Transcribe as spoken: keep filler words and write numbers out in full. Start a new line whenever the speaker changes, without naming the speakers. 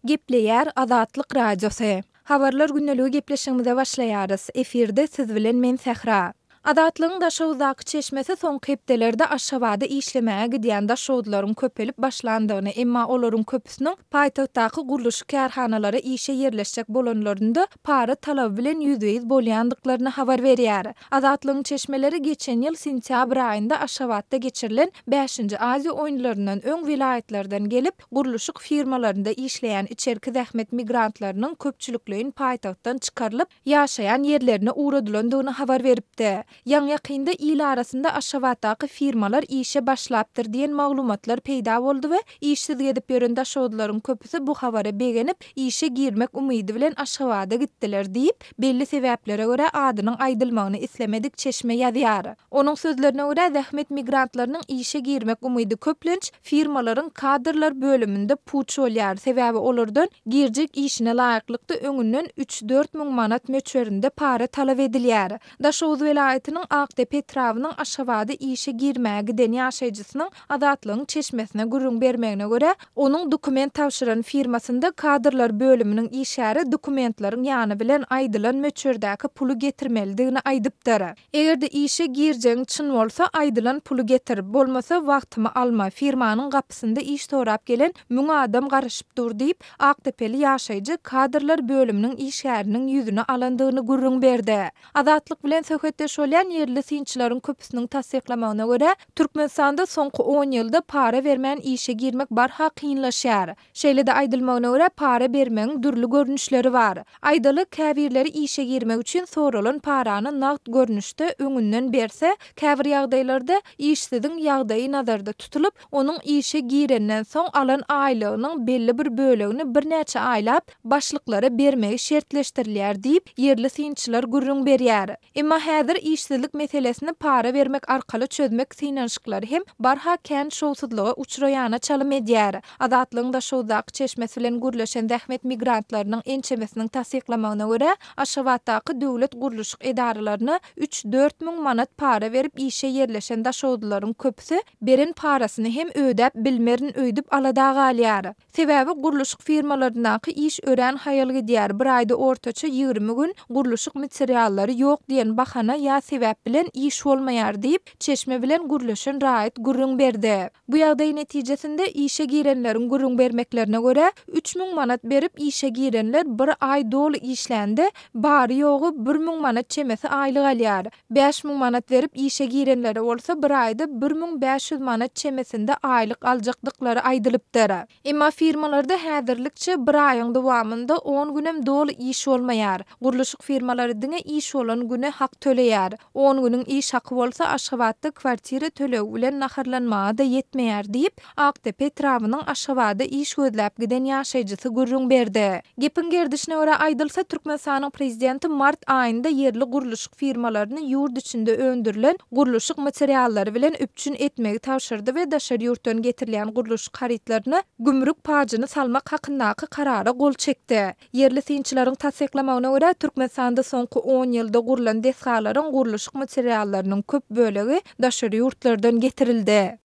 Gepleýär Azatlyk Radiosy. Habarlar gündeligi gepleşigimize başlaýarys. Efirde siz bilen men Sähra. Azatlygyň Daşoguzdaky çeşmesi soňky hepdelerde Aşgabada işlemäge gidýän daşoguzlaryň köpelip başlandygyny, emma olaryň köpüsiniň paýtagtdaky gurluşyk kärhanalara işe ýerleşjek bolanlarynda para talaby bilen ýüzbe-ýüz bolýandyklaryny habar berýär. Azatlygyň çeşmeleri geçen ýyl sentýabr aýynda Aşgabatda geçirilen bäşinji Aziýa oýunlaryndan öň welaýatlardan gelip, gurluşyk firmalarynda işleýän içerki zähmet migrantlarynyň köpçülikleýin paýtagtdan çykarylyp, ýaşaýan ýerlerine ugradylandygyny habar beripdi. Ýaňy-ýakynda il arasynda Aşgabatdaky firmalar işe başlapdyr diýen maglumatlar peýda boldy we işsiz gezip ýören daşoguzlylaryň köpüsi bu habara begenip, işe girmek umydy bilen Aşgabada gitdiler diýip, belli sebäplere görä adynyň aýdylmagyny islemedik çeşme ýazýar. Onuň sözlerine görä, zähmet migrantlarynyň işe girmek umydy köplenç firmalaryň kadrlar bölüminde puç bolýar, sebäbi olardan girjek işine laýyklykda öňünden üç-dört müň manat möçberinde para talap edilýär. Daşoguz welaýatynyň Akdepe etrabynyň Aşgabada işe girmäge giden ýaşaýjysynyň Azatlygyň çeşmesine gürrüň bermegine görä, onuň dokument tabşyran firmasynda kadrlar bölüminiň işgäri dokumentleriň ýany bilen aýdylan möçberdäki puly getirmelidigini aýdypdyr. Eger-de işe girjegiň çyn bolsa, aýdylan puly getir, bolmasa wagtymy alma, firmanyň gapysynda iş sorap gelen müň adam garaşyp dur diýip, akdepeli ýaşaýjy kadrlar bölüminiň işgäriniň ýüzüni alandygyny gürrüň berdi. Azatlyk bilen söhbetdeş bolýan ýerli synçylaryň köpüsiniň tassyklamagyna görä, Türkmenistanda soňky on ýylda para bermän işe girmek barha kynlaşýar. Şeýle-de aýdylmagyna görä, para bermegiň dürli görnüşleri bar. Aýdaly, käbirleri işe girmek üçin soralan parany nagt görnüşde öňünden berse, käbir ýagdaýlarda işsiziň ýagdaýy nazarda tutulyp, onuň işe girenden soň alan aýlygynyň belli bir bölegini birnäçe aýlap başlyklara bermegi şertleşdirilýär diýip, ýerli synçylar gürrüň berýär. Emma häzir işsizlik meselesini para bermek arkaly çözmek synanyşyklary hem barha kän şowsuzlyga uçraýana çalym edýär. Azatlygyň Daşoguzdaky çeşmesi bilen gürleşen zähmet migrantlarynyň ençemesiniň tassyklamagyna görä, Aşgabatdaky döwlet gurluşyk edaralaryna üç-dört müň manat para berip işe ýerleşen daşoguzlylaryň köpüsi beren parasyny hem ödäp bilmerin öýdüp alada galýar. Sebäbi gurluşyk firmalaryndaky iş örän haýal gidýär, bir aýda ortaça ýigrimi gün gurluşyk materiallary ýok diýen bahana ýa sebäp bilen iş bolmaýar diýip, çeşme bilen gürleşen raýat gürrüň berdi. Bu ýagdaý netijesinde işe girenleriň gürrüň bermeklerine görä, üç müň manat berip işe girenler bir aý doly işlände bary-ýogy bir müň manat çemesi aýlyk alýar. Bäş müň manat berip işe girenlere bolsa bir aýda bir müň bäş ýüz manat çemesinde aýlyk aljakdyklary aýdylypdyr. Emma firmalarda häzirlikçe bir aýyň dowamynda on günem doly iş bolmaýar. Gurluşyk firmalary diňe iş bolan güne hak töleýär. On günüň iş haky bolsa Aşgabatda kwartira tölegi bilen naharlanmaga-da ýetmeýär diýip, Akdepe etrabynyň Aşgabada iş gözläp giden ýaşaýjysy gürrüň berdi. Gepiň gerdişine görä aýdylsa, Türkmenistanyň prezidenti mart aýynda ýerli gurluşyk firmalaryny ýurt içinde öndürilen gurluşyk materiallary bilen üpjün etmegi tabşyrdy we daşary ýurtdan getirilýän gurluşyk harytlaryna gümrük pajyny salmak hakyndaky karara gol çekdi. Ýerli synçylaryň tassyklamagyna görä, Türkmenistanda soňky on ýylda gurlan desgalaryň gurluşyk materiallarynyň köp bölegi daşary ýurtlardan getirildi.